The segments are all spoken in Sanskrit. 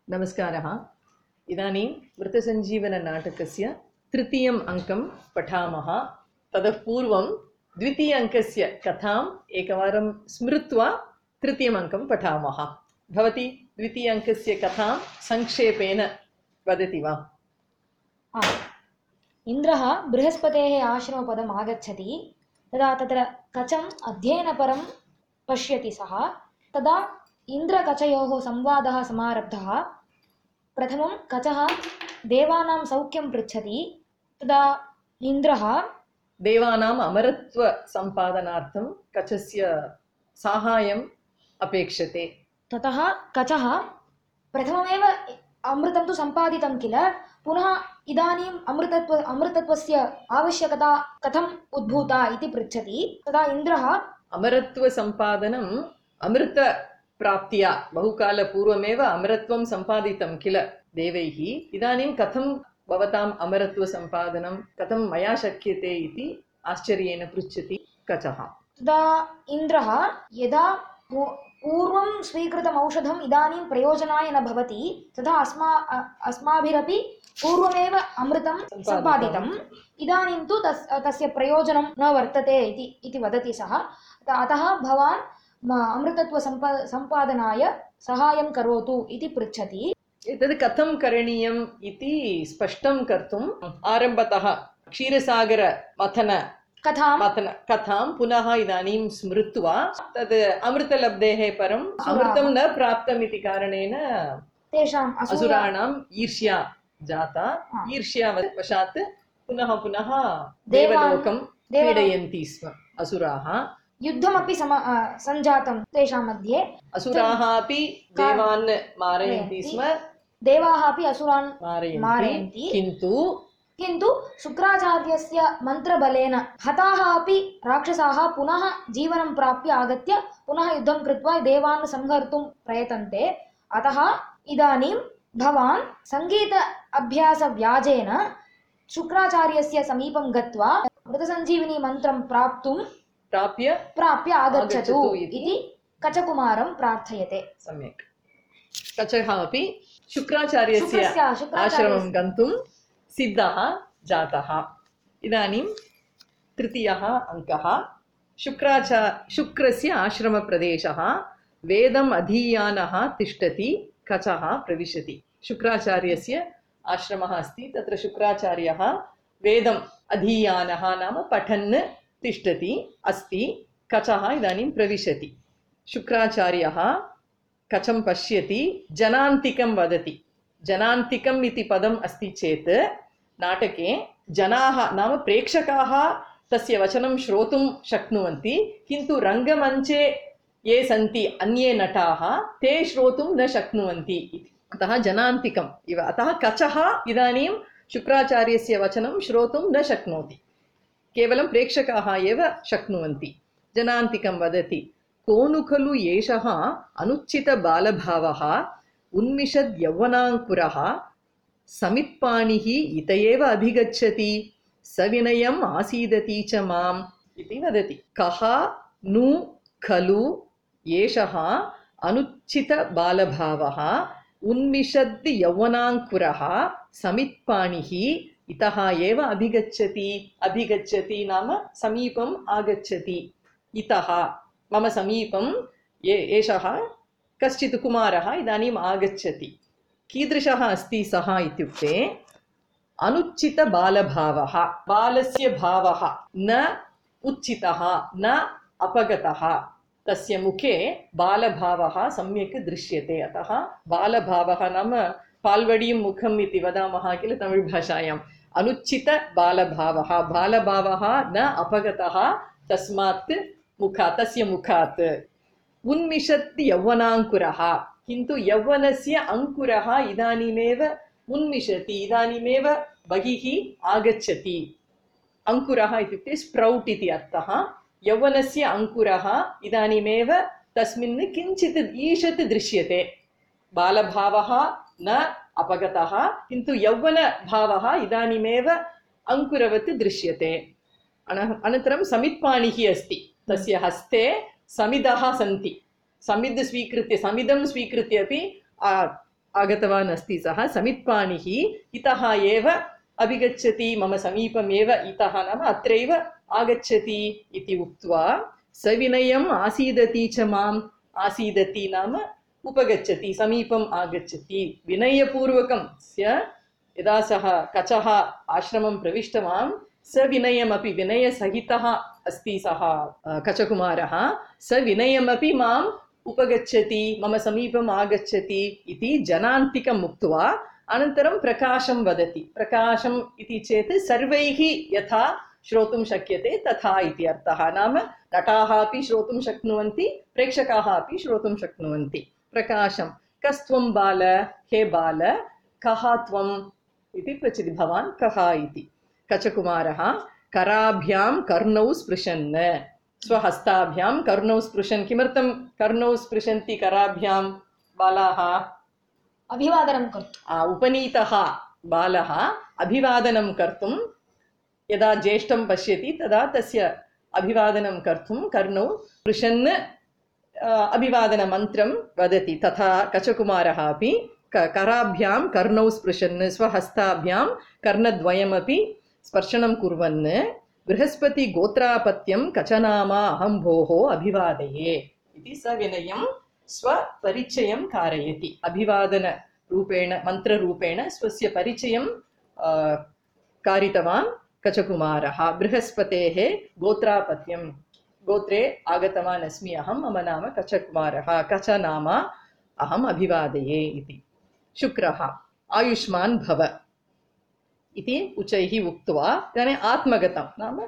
नमस्कारः। इदानीं वृत्तसञ्जीवननाटकस्य तृतीयम् अङ्कं पठामः। ततः पूर्वं द्वितीय अङ्कस्य कथाम् एकवारं स्मृत्वा तृतीयम् अङ्कं पठामः। भवती द्वितीय अङ्कस्य कथां संक्षेपेण वदति वा? इन्द्रः बृहस्पतेः आश्रमपदम् आगच्छति। तदा तत्र कचम् अध्ययनपरं पश्यति सः। तदा इन्द्रकचयोः संवादः समारब्धः। प्रथमं कचः देवानां सौख्यं पृच्छति। तदा इन्द्रः देवानाम् अमरत्वसम्पादनार्थं कचस्य साहाय्यम् अपेक्षते। ततः कचः प्रथममेव अमृतं तु सम्पादितं किल, पुनः इदानीम् अमृतत्वस्य आवश्यकता कथम् उद्भूता इति पृच्छति। तदा इन्द्रः अमरत्वसम्पादनम् अमृतप्राप्त्या बहुकालपूर्वमेव अमरत्वं सम्पादितं किल देवैः। इदानीं कथं भवताम् अमरत्वसम्पादनं कथं मया शक्यते इति आश्चर्येण पृच्छति कचः। तदा इन्द्रः यदा पूर्वं स्वीकृतम् औषधम् इदानीं प्रयोजनाय न भवति, तथा अस्माभिरपि पूर्वमेव अमृतं सम्पादितम्, इदानीं तु तस्य प्रयोजनं न वर्तते इति वदति सः। अतः भवान् अमृतत्वसम्पादनाय सहायं करोतु इति पृच्छति। एतद् कथं करणीयम् इति स्पष्टं कर्तुम् आरम्भतः क्षीरसागरमथन कथां पुनः इदानीं स्मृत्वा तद् अमृतलब्धेः परम् अमृतं न प्राप्तम् इति कारणेन तेषाम् असुराणाम् ईर्ष्या जाता। ईर्ष्यावशात् पुनः पुनः देवलोकं पीडयन्ति स्म असुराः। युद्धमपि सञ्जातं तेषां मध्ये। असुराः अपि देवान् मारयन्ति स्म, देवाः अपि असुरान् मारयन्ति। किन्तु शुक्राचार्यस्य मन्त्रबलेन हताः अपि राक्षसाः पुनः जीवनं प्राप्य आगत्य पुनः युद्धं कृत्वा देवान् संहर्तुं प्रयतन्ते। अतः इदानीं भवान् सङ्गीत अभ्यासव्याजेन शुक्राचार्यस्य समीपं गत्वा मृतसञ्जीविनी मन्त्रं प्राप्य आगच्छतु इति कचकुमारं प्रार्थयते। सम्यक्। कचः अपि शुक्राचार्यस्य आश्रमं गन्तुं सिद्धः जातः। इदानीं तृतीयः अङ्कः। शुक्रस्य आश्रमप्रदेशः। वेदम् अधीयानः तिष्ठति, कचः प्रविशति। शुक्राचार्यस्य आश्रमः अस्ति, तत्र शुक्राचार्यः वेदम् अधीयानः नाम पठन् तिष्ठति अस्ति। कचः इदानीं प्रविशति। शुक्राचार्यः कचं पश्यति, जनान्तिकं वदति। जनान्तिकम् इति पदम् अस्ति चेत् नाटके जनाः नाम प्रेक्षकाः तस्य वचनं श्रोतुं शक्नुवन्ति, किन्तु रङ्गमञ्चे ये सन्ति अन्ये नटाः ते श्रोतुं न शक्नुवन्ति इति। अतः जनान्तिकम् इव। अतः कचः इदानीं शुक्राचार्यस्य वचनं श्रोतुं न शक्नोति, केवलं प्रेक्षकाः एव शक्नुवन्ति। जनान्तिकं वदति, कोनु खलु एषः अनुचितबालभावः, उन्मिषद् यौवनाङ्कुरः, समित्पाणिः इत एव अभिगच्छति, सविनयम् आसीदति च माम् इति वदति। कः नु खलु एषः अनुचितबालभावः, उन्मिषद् यौवनाङ्कुरः, समित्पाणिः इतः एव अभिगच्छति। अभिगच्छति नाम समीपम् आगच्छति। इतः मम समीपं एषः कश्चित् कुमारः इदानीम् आगच्छति। कीदृशः अस्ति सः इत्युक्ते अनुचितबालभावः। बालस्य भावः न उचितः न अपगतः, तस्य मुखे बालभावः सम्यक् दृश्यते। अतः बालभावः नाम पाल्वडीं मुखम् इति वदामः किल तमिळ् भाषायाम्। अनुचितबालभावः, बालभावः न अपगतः तस्मात् तस्य मुखात्। उन्मिषत् यौवनाङ्कुरः, किन्तु यौवनस्य अङ्कुरः इदानीमेव उन्मिषति, इदानीमेव बहिः आगच्छति। अङ्कुरः इत्युक्ते स्प्रौट् इति अर्थः। यौवनस्य अङ्कुरः इदानीमेव तस्मिन् किञ्चित् ईषत् दृश्यते। बालभावः न अपगतः, किन्तु यौवनभावः इदानीमेव अङ्कुरवत् दृश्यते। अनन्तरं समित्पाणिः अस्ति, तस्य हस्ते समिदः सन्ति। समिदं स्वीकृत्य अपि आगतवान् अस्ति सः समित्पाणिः इतः एव अभिगच्छति मम समीपमेव इतः नाम अत्रैव आगच्छति इति उक्त्वा सविनयम् आसीदति च माम् आसीदति नाम उपगच्छति समीपम् आगच्छति विनयपूर्वकं यदा सः कचः आश्रमं प्रविष्टवान् सविनयमपि विनयसहितः अस्ति सः कचकुमारः सविनयमपि माम् उपगच्छति मम समीपम् आगच्छति इति जनान्तिकम् उक्त्वा अनन्तरं प्रकाशं वदति प्रकाशम् इति चेत् सर्वैः यथा श्रोतुं शक्यते तथा इति अर्थः नाम नटाः अपि श्रोतुं शक्नुवन्ति प्रेक्षकाः अपि श्रोतुं शक्नुवन्ति प्रकाशं कस्त्वं बाल हे बाल कः त्वम् इति पृच्छति भवान् कः इति कचकुमारः कराभ्यां कर्णौ स्पृशन् स्वहस्ताभ्यां कर्णौ स्पृशन् किमर्थं कर्णौ स्पृशन्ति कराभ्यां बालाः अभिवादनं कर्तुम् उपनीतः बालः अभिवादनं कर्तुं यदा ज्येष्ठं पश्यति तदा तस्य अभिवादनं कर्तुं कर्णौ स्पृशन् अभिवादनमन्त्रं वदति तथा कचकुमारः अपि कराभ्यां कर्णौ स्पृशन् स्वहस्ताभ्यां कर्णद्वयमपि स्पर्शनं कुर्वन् बृहस्पतिगोत्रापत्यं कचनामा अहं भोः अभिवादये इति सविनयं स्वपरिचयं कारयति अभिवादनरूपेण मन्त्ररूपेण स्वस्य परिचयं कारितवान् कचकुमारः बृहस्पतेः गोत्रापत्यं गोत्रे आगतवान् अस्मि अहं मम नाम कचकुमारः कचनाम अहम् अभिवादये इति शुक्रः आयुष्मान् भव इति उच्चैः उक्त्वा इदानीम् आत्मगतं नाम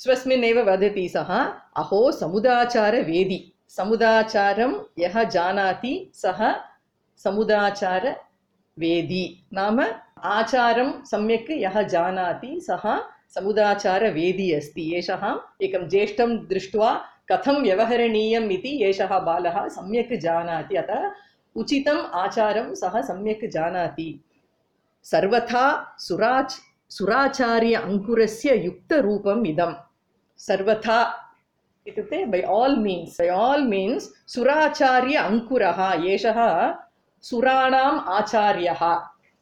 स्वस्मिन्नेव वदति सः अहो समुदाचारवेदी समुदाचारं यः जानाति सः समुदाचारवेदी नाम आचारं सम्यक् यः जानाति सः समुदाचारवेदी अस्ति एषः एकं ज्येष्ठं दृष्ट्वा कथं व्यवहरणीयम् इति एषः बालः सम्यक् जानाति अतः उचितम् आचारं सः सम्यक् जानाति सर्वथा सुराचार्य अंकुरस्य युक्तरूपम् इदं सर्वथा इत्युक्ते by all means सुराचार्य अंकुरः एषः सुराणाम् आचार्यः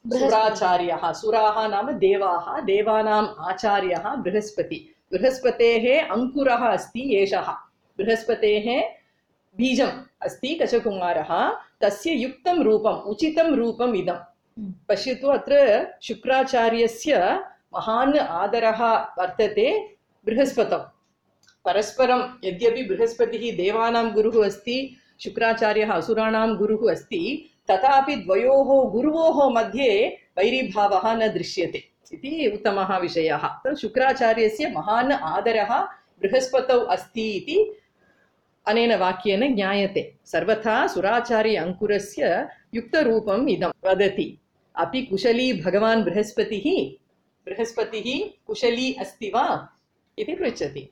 सुराचार्यः सुराः नाम देवाः देवानाम् आचार्यः बृहस्पतेः अंकुरः अस्ति एषः बृहस्पतेः बीजम् अस्ति कचकुमारः तस्य युक्तं रूपम् उचितं रूपम् इदं पश्यतु अत्र शुक्राचार्यस्य महान् आदरः वर्तते बृहस्पतौ परस्परं यद्यपि बृहस्पतिः देवानां गुरुः अस्ति शुक्राचार्यः असुराणां गुरुः अस्ति तथापि द्वयोः गुरुवोः मध्ये वैरीभावः न दृश्यते इति उत्तमः विषयः शुक्राचार्यस्य महान् आदरः बृहस्पतौ अस्ति इति अनेन वाक्येन ज्ञायते सर्वथा सुराचार्य अंकुरस्य युक्तरूपम् इदं वदति अपि कुशली भगवान् बृहस्पतिः कुशली अस्ति वा इति पृच्छति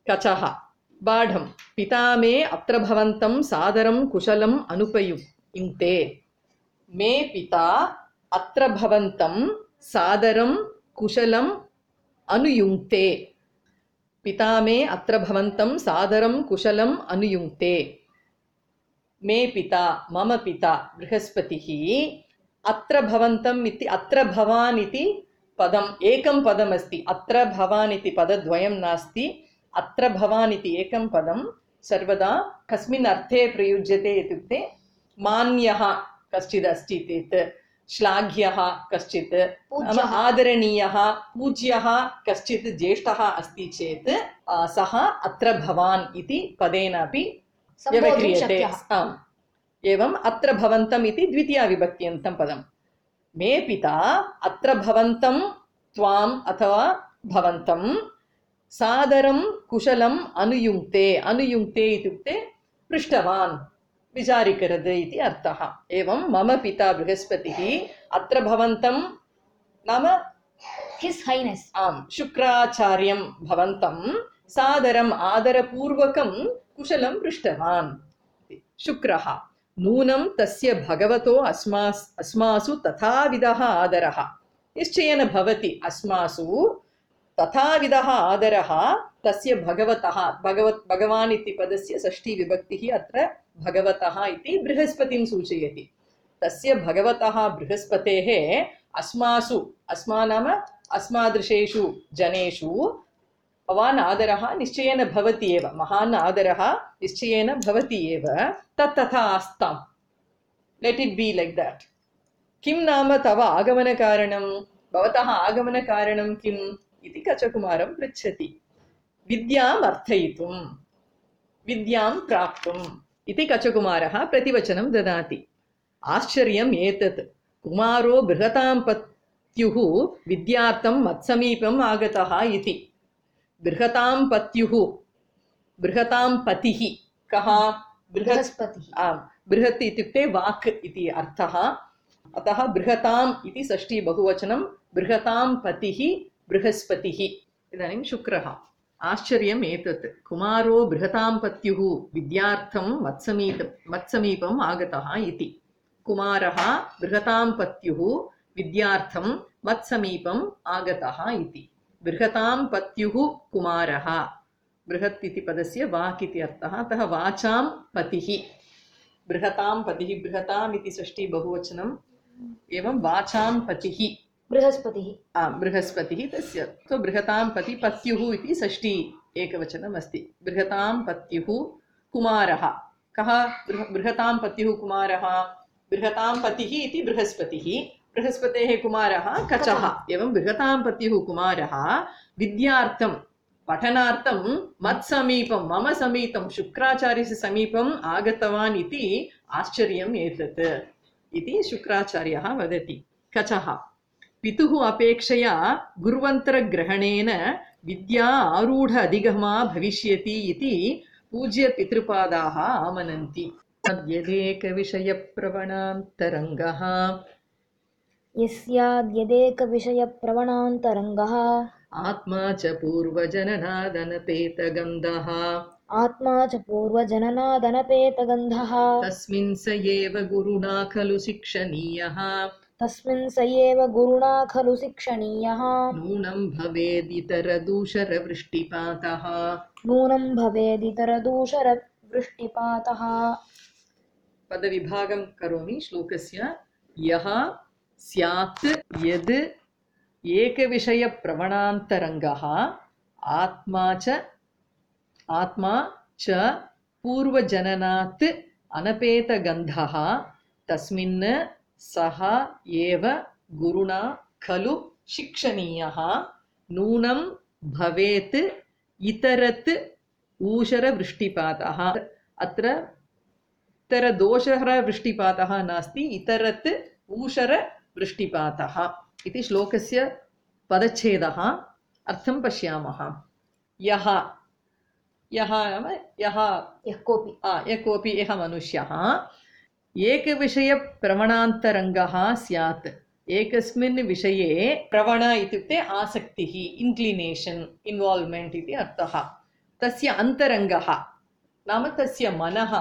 कचः बाढं पिता मे अत्र भवन्तं सादरं कुशलम् अनुपयुङ्क्ते मे पिता अत्र भवन्तं सादरं कुशलम् अनुयुङ्क्ते पिता मे अत्र भवन्तं सादरं कुशलम् अनुयुङ्क्ते मे पिता मम पिता बृहस्पतिः अत्र भवन्तम् इति अत्र भवान् इति पदम् एकं पदमस्ति अत्र भवान् इति पदद्वयं नास्ति अत्र भवान् इति एकं पदं सर्वदा कस्मिन् अर्थे प्रयुज्यते इत्युक्ते मान्यः कश्चित् अस्ति चेत् श्लाघ्यः कश्चित् आदरणीयः पूज्यः कश्चित् ज्येष्ठः अस्ति चेत् सः अत्र भवान् इति पदेन अपि व्यवह्रियते एवं अत्र भवन्तम् इति द्वितीया विभक्त्यन्तं पदं मे पिता अत्र भवन्तं त्वाम् अथवा भवन्तं सादरं कुशलम् अनुयुङ्क्ते इत्युक्ते पृष्टवान् विचारिकरद् इति अर्थः एवं मम पिता बृहस्पतिः अत्र भवन्तं नाम हिस् हाइनेस् शुक्राचार्यं भवन्तं सादरम् आदरपूर्वकं कुशलं पृष्टवान् शुक्रः नूनं तस्य भगवतो अस्मासु तथाविधः आदरः निश्चयेन भवति अस्मासु तथाविधः आदरः तस्य भगवतः भगवान् इति पदस्य षष्ठी विभक्तिः अत्र भगवतः इति बृहस्पतिं सूचयति तस्य भगवतः बृहस्पतेः अस्मादृशेषु जनेषु भवान् आदरः निश्चयेन भवति एव, महान् आदरः निश्चयेन भवति एव, तथा आस्ताम्। Let it be like that. किं नाम तव आगमनकारणं, भवतः आगमनकारणं किम् इति कचकुमारं पृच्छति। विद्याम् अर्थयितुं, विद्यां प्राप्तुम् इति कचकुमारः प्रतिवचनं ददाति। आश्चर्यम् एतत्, कुमारो बृहतां पत्युः विद्यार्थं मत्समीपम् आगतः इति। बृहतां पत्युः, बृहतां पतिः कः? बृहस्पतिः। आम्, बृहत् इत्युक्ते वाक् इति अर्थः। अतः बृहताम् इति षष्ठी बहुवचनं, बृहतां पतिः बृहस्पतिः। इदानीं शुक्रः। आश्चर्यम् एतत्, कुमारो बृहतां पत्युः विद्यार्थं मत्समीपम् आगतः इति। कुमारः बृहतां पत्युः विद्यार्थं मत्समीपम् आगतः इति। बृहतां पत्युः कुमारः, बृहत् इति पदस्य वाक् इति अर्थः, अतः वाचां पतिः। बृहतां पतिः, बृहताम् इति षष्ठी बहुवचनम्, एवं वाचां पतिः बृहस्पतिः। बृहस्पतिः तस्य। तो बृहतां पति, पत्युः इति षष्ठी एकवचनम् अस्ति। बृहतां पत्युः कुमारः कः? बृहतां पत्युः कुमारः, बृहतां पतिः इति बृहस्पतिः, बृहस्पतेः कुमारः कचः। एवं बृहतां पत्युः कुमारः विद्यार्थं, पठनार्थं मत्समीपं, मम समीपं, शुक्राचार्यस्य समीपम् आगतवान् इति आश्चर्यम् एतत् इति शुक्राचार्यः वदति। कचः, पितुः अपेक्षया गुरुवन्तरग्रहणेन विद्या आरूढ अधिगमा भविष्यति इति पूज्य पितृपादाः आमनन्ति। यदेकविषयप्रवणान्तरङ्गः, यस्याद्यदेकविषयप्रवणान्तरङ्गः, आत्मा च पूर्वजननादनपेतगन्धः, आत्मा च पूर्वजननादनपेतगन्धः, तस्मिन् स एव गुरुणा खलु शिक्षणीयः, तस्मिन् स एव गुरुणा खलु शिक्षणीयः, नूनं भवेदितरदूषरवृष्टिपातः। नूनं भवेदितरदूषरवृष्टिपातः। पदविभागं करोमि श्लोकस्य। यः स्यात् यद् एकविषयप्रवणान्तरङ्गः, आत्मा च पूर्वजननात् अनपेतगन्धः, तस्मिन् सः एव गुरुणा खलु शिक्षणीयः, नूनं भवेत् इतरत् ऊषरवृष्टिपातः। अत्र इतरदोषरवृष्टिपातः नास्ति, इतरत् ऊषरवृष्टिपातः इति श्लोकस्य पदच्छेदः। अर्थं पश्यामः। यः नाम यः कोऽपि यः मनुष्यः एकविषयप्रवणान्तरङ्गः स्यात्, एकस्मिन् विषये, प्रवण इत्युक्ते आसक्तिः, इन्क्लिनेशन्, इन्वाल्व्मेण्ट् इति अर्थः। तस्य अन्तरङ्गः नाम तस्य मनः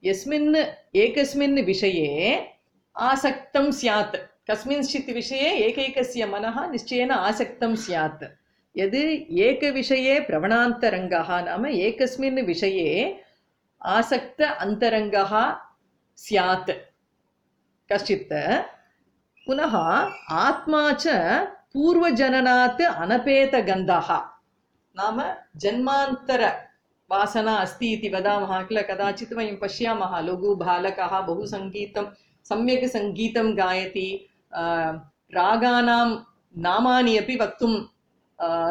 एकस्मिन् विषये आसक्तं स्यात्। कस्मिंश्चित् विषये एकैकस्य मनः निश्चयेन आसक्तं स्यात्। यद् एकविषये प्रवणान्तरङ्गः नाम एकस्मिन् विषये आसक्त अन्तरङ्गः स्यात् कश्चित्। पुनः आत्मा च पूर्वजननात् अनपेतगन्धः नाम जन्मान्तरवासना अस्ति इति वदामः किल। कदाचित् वयं पश्यामः, लघुबालकः बहु सम्यक् सङ्गीतं गायति, रागानां नामानि अपि वक्तुं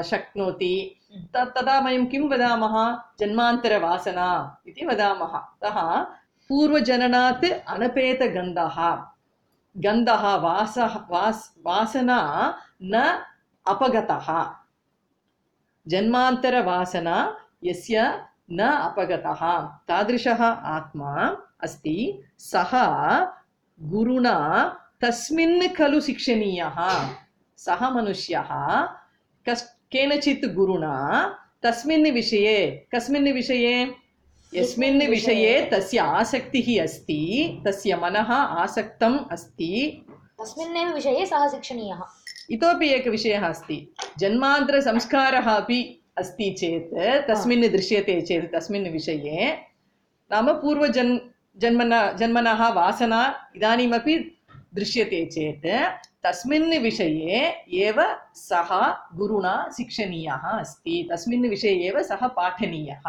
शक्नोति। तदा वयं किं वदामः? जन्मान्तरवासना इति वदामः। अतः पूर्वजननात् अनपेतगन्धः, गन्धः वासना न अपगतः, जन्मान्तरवासना यस्य न अपगतः, तादृशः आत्मा अस्ति। सः गुरुणा तस्मिन् खलु शिक्षणीयः। सः मनुष्यः केनचित् गुरुणा तस्मिन् विषये, कस्मिन् विषये? यस्मिन् विषये तस्य आसक्तिः अस्ति, तस्य मनः आसक्तम् अस्ति, तस्मिन्नेव विषये सः शिक्षणीयः। इतोपि एकः विषयः अस्ति, जन्मान्तरसंस्कारः अपि अस्ति चेत्, तस्मिन् दृश्यते चेत् तस्मिन् विषये, नाम जन्मनः वासना इदानीमपि दृश्यते चेत् तस्मिन् विषये एव सः गुरुणा शिक्षणीयः अस्ति, तस्मिन् विषये एव सः पाठनीयः।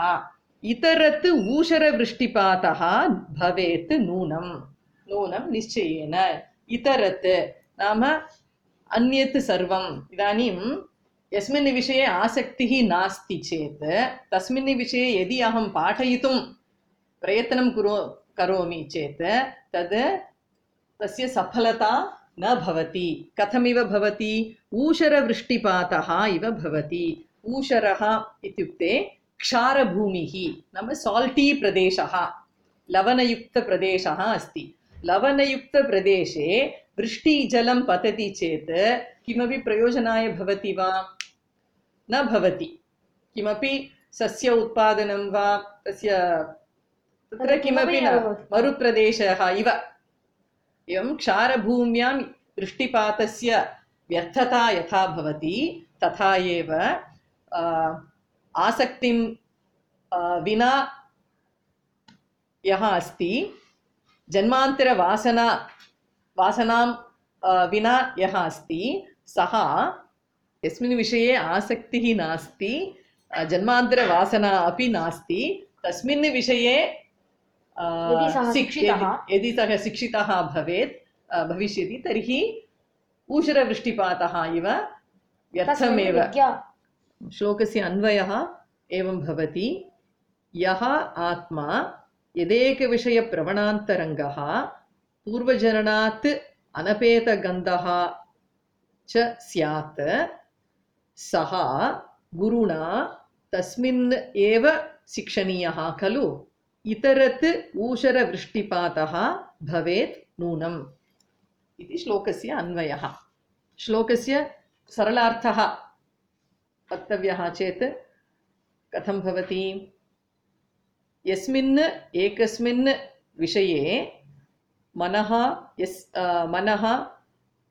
इतरत् ऊषरवृष्टिपातः भवेत् नूनं निश्चयेन। इतरत् नाम अन्यत् सर्वम्। इदानीं यस्मिन् विषये आसक्तिः नास्ति चेत् तस्मिन् विषये यदि अहं पाठयितुं प्रयत्नं करोमि चेत् तस्य सफलता न भवति। कथमिव भवति? ऊषरवृष्टिपातः इव भवति। ऊषरः इत्युक्ते क्षारभूमिः नाम साल्टी प्रदेशः, लवणयुक्तप्रदेशः अस्ति। लवणयुक्तप्रदेशे वृष्टिजलं पतति चेत् किमपि प्रयोजनाय भवति वा? न भवति। किमपि सस्य उत्पादनं वा तत्र किमपि न, मरुप्रदेशः इव। एवं क्षारभूम्यां वृष्टिपातस्य व्यर्थता यथा भवति तथा एव आसक्तिं विना यः अस्ति, जन्मान्तरवासनां विना यः अस्ति, सः यस्मिन् विषये आसक्तिः नास्ति, जन्मान्तरवासना अपि नास्ति, तस्मिन् विषये यदि सः शिक्षितः भविष्यति तर्हि ऊषरवृष्टिपातः इव व्यर्थमेव। श्लोकस्य अन्वयः एवं भवति। यः आत्मा यदेकविषयप्रवणान्तरङ्गः पूर्वजननात् अनपेतगन्धः च स्यात् सः गुरुणा तस्मिन् एव शिक्षणीयः खलु। इतरत् ऊषरवृष्टिपातः भवेत् नूनम् इति श्लोकस्य अन्वयः। श्लोकस्य सरलार्थः वक्तव्यः चेत् कथं भवति? यस्मिन् एकस्मिन् विषये मनः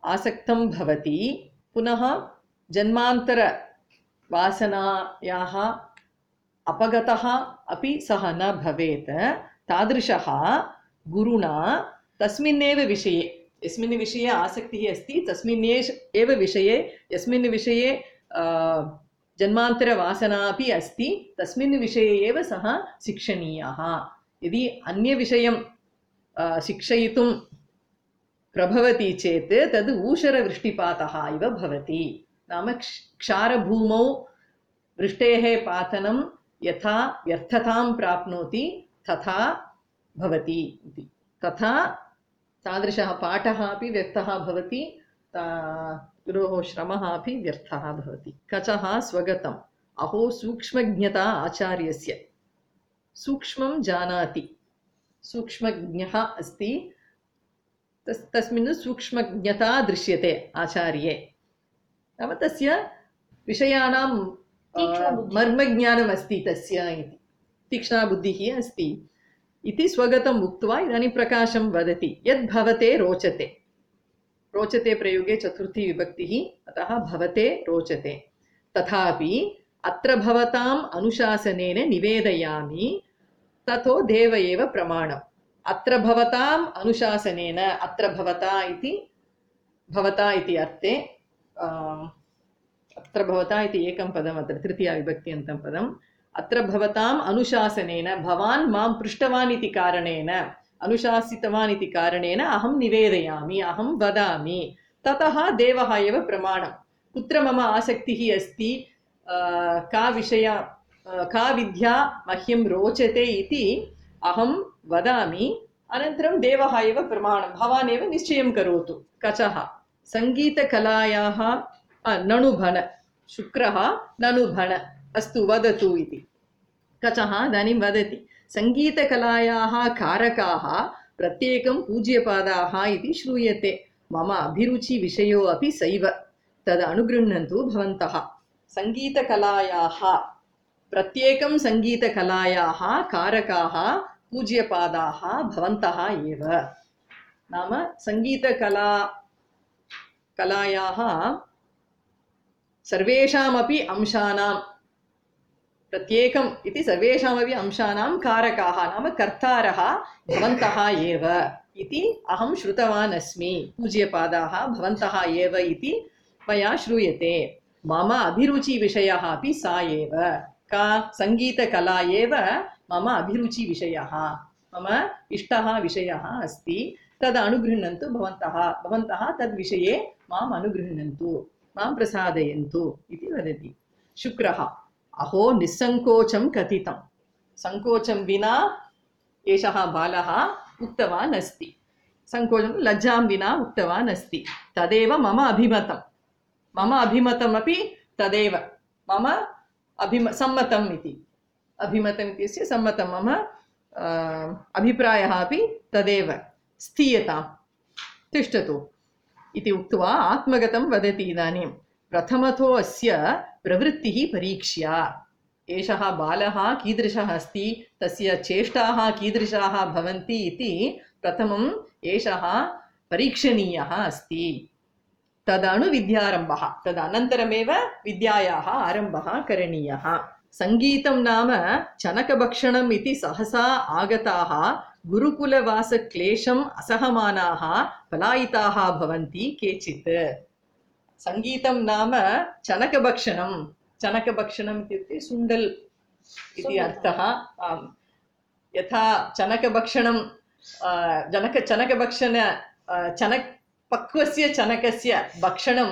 आसक्तं भवति, पुनः जन्मान्तरवासनायाः अपगतः अपि सः न भवेत्, तादृशः गुरुणा तस्मिन्नेव विषये, यस्मिन् विषये आसक्तिः अस्ति तस्मिन् एव विषये, यस्मिन् विषये जन्मान्तरवासना अपि अस्ति तस्मिन् विषये एव सः शिक्षणीयः। यदि अन्यविषयं शिक्षयितुं प्रभवति चेत् तद् ऊषरवृष्टिपातः इव भवति। नाम क्षारभूमौ वृष्टेः पातनं यथा व्यर्थतां प्राप्नोति तथा भवति इति। तादृशः पाठः अपि व्यर्थः भवति, गुरोः श्रमः अपि व्यर्थः भवति। कचः स्वगतम् अहो सूक्ष्मज्ञता आचार्यस्य। सूक्ष्मं जानाति, सूक्ष्मज्ञः अस्ति, तस्मिन् सूक्ष्मज्ञता दृश्यते आचार्ये। नाम तस्य विषयाणां मर्मज्ञानम् अस्ति तस्य इति, तीक्ष्णा बुद्धिः अस्ति इति स्वगतम् उक्त्वा इदानीं प्रकाशं वदति। यद् भवते रोचते, रोचते प्रयोगे चतुर्थी विभक्तिः, अतः भवते रोचते। तथापि अत्र भवताम् अनुशासनेन निवेदयामि, ततो देव एव प्रमाणम्। अत्र भवताम् अनुशासनेन, अत्र भवता इति अर्थे, अत्र भवता इति एकं पदम्, अत्र तृतीया विभक्त्यन्तं पदम्। अत्र भवताम् अनुशासनेन, भवान् मां पृष्टवान् इति कारणेन, अनुशासितवान् इति कारणेन अहं निवेदयामि, अहं वदामि, ततः देवः एव प्रमाणं। कुत्र मम आसक्तिः अस्ति, का विद्या मह्यं रोचते इति अहं वदामि, अनन्तरं देवः एव प्रमाणं, भवान् एव निश्चयं करोतु। कचः सङ्गीतकलायाः नणुभण, शुक्रः नणुभण, अस्तु वदतु इति। कचः इदानीं वदति, सङ्गीतकलायाः कारकाः प्रत्येकं पूज्यपादाः इति श्रूयते, मम अभिरुचिविषयो अपि सैव, तद् अनुगृह्णन्तु भवन्तः। सङ्गीतकलायाः, प्रत्येकं सङ्गीतकलायाः कारकाः पूज्यपादाः भवन्तः एव। नाम सङ्गीतकलायाः सर्वेषामपि अंशानां प्रत्येकम् इति सर्वेषामपि अंशानां कारकाः नाम कर्तारः भवन्तः एव इति अहं श्रुतवान् अस्मि। पूज्यपादाः भवन्तः एव इति मया श्रूयते। मम अभिरुचिविषयः अपि सा एव। का सङ्गीतकला एव मम अभिरुचिविषयः, मम इष्टः विषयः अस्ति। तद् अनुगृह्णन्तु भवन्तः, भवन्तः तद्विषये माम् अनुगृह्णन्तु, मां प्रसादयन्तु इति वदति। शुक्रः अहो निस्सङ्कोचं कथितं। सङ्कोचं विना एषः बालः उक्तवान् अस्ति। सङ्कोचं लज्जां विना उक्तवान् अस्ति। तदेव मम अभिमतं। मम अभिमतमपि तदेव। मम सम्मतम् इति। अभिमतम् इत्यस्य सम्मतं। मम अभिप्रायः अपि तदेव। स्थीयतां, तिष्ठतु इति उक्त्वा आत्मगतं वदति। इदानीं प्रथमतो अस्य प्रवृत्तिः परीक्ष्या। एषः बालः कीदृशः अस्ति, तस्य चेष्टाः कीदृशाः भवन्ति इति प्रथमम् एषः परीक्षणीयः अस्ति। तदनु विद्यारम्भः, तदनन्तरमेव विद्यायाः आरम्भः करणीयः। सङ्गीतं नाम चनकभक्षणम् इति सहसा आगताः गुरुकुलवासक्लेशम् असहमानाः पलायिताः भवन्ति केचित्। सङ्गीतं नाम चनकभक्षणं। चनकभक्षणम् इत्युक्ते सुण्डल् इति अर्थः। यथा चनकभक्षणं पक्वस्य चनकस्य भक्षणं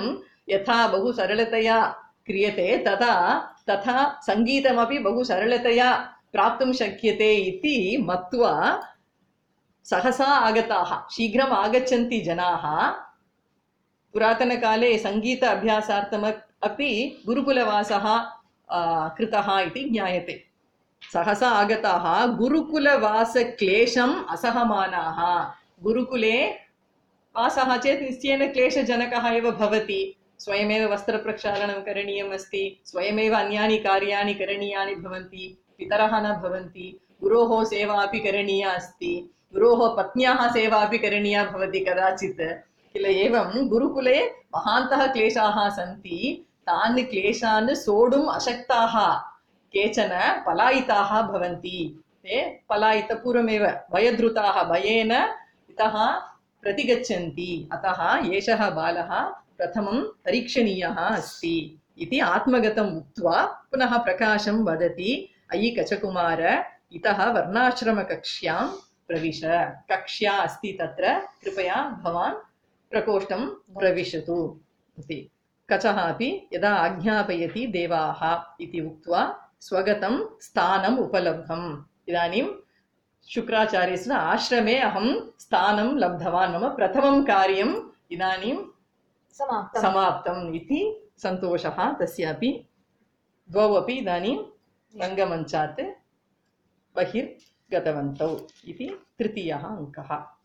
यथा बहु सरलतया क्रियते, तथा सङ्गीतमपि बहु सरलतया प्राप्तुं शक्यते इति मत्वा सहसा आगताः, शीघ्रम् आगच्छन्ति जनाः। पुरातनकाले सङ्गीत अभ्यासार्थम् अपि गुरुकुलवासः कृतः इति ज्ञायते। सहसा आगताः गुरुकुलवासक्लेशम् असहमानाः। गुरुकुले वासः चेत् निश्चयेन क्लेशजनकः एव भवति। स्वयमेव वस्त्रप्रक्षालनं करणीयम् अस्ति, स्वयमेव अन्यानि कार्याणि करणीयानि भवन्ति, पितरः न भवन्ति, गुरोः सेवा अपि करणीया अस्ति, गुरोः पत्न्याः सेवा अपि करणीया भवति कदाचित् किल। एवं गुरुकुले महान्तः क्लेशाः सन्ति। तान् क्लेशान् सोढुम् अशक्ताः केचन पलायिताः भवन्ति। ते पूर्वमेव भयधृताः, भयेन इतः प्रतिगच्छन्ति। अतः एषः बालः प्रथमं परीक्षणीयः अस्ति इति आत्मगतम् उक्त्वा पुनः प्रकाशं वदति। अयि कचकुमार, इतः वर्णाश्रमकक्ष्यां प्रविश। कक्ष्या अस्ति तत्र, कृपया भवान् प्रकोष्ठं प्रविशतु इति। कचः अपि यदा आज्ञापयति देवाः इति उक्त्वा स्वगतं स्थानम् उपलब्धम्। इदानीं शुक्राचार्यस्य आश्रमे अहं स्थानं लब्धवान्। मम प्रथमं कार्यम् इदानीं समाप्तम् इति सन्तोषः तस्यापि। द्वौ अपि इदानीं रङ्गमञ्चात् बहिर्गतवन्तौ इति तृतीयः अङ्कः।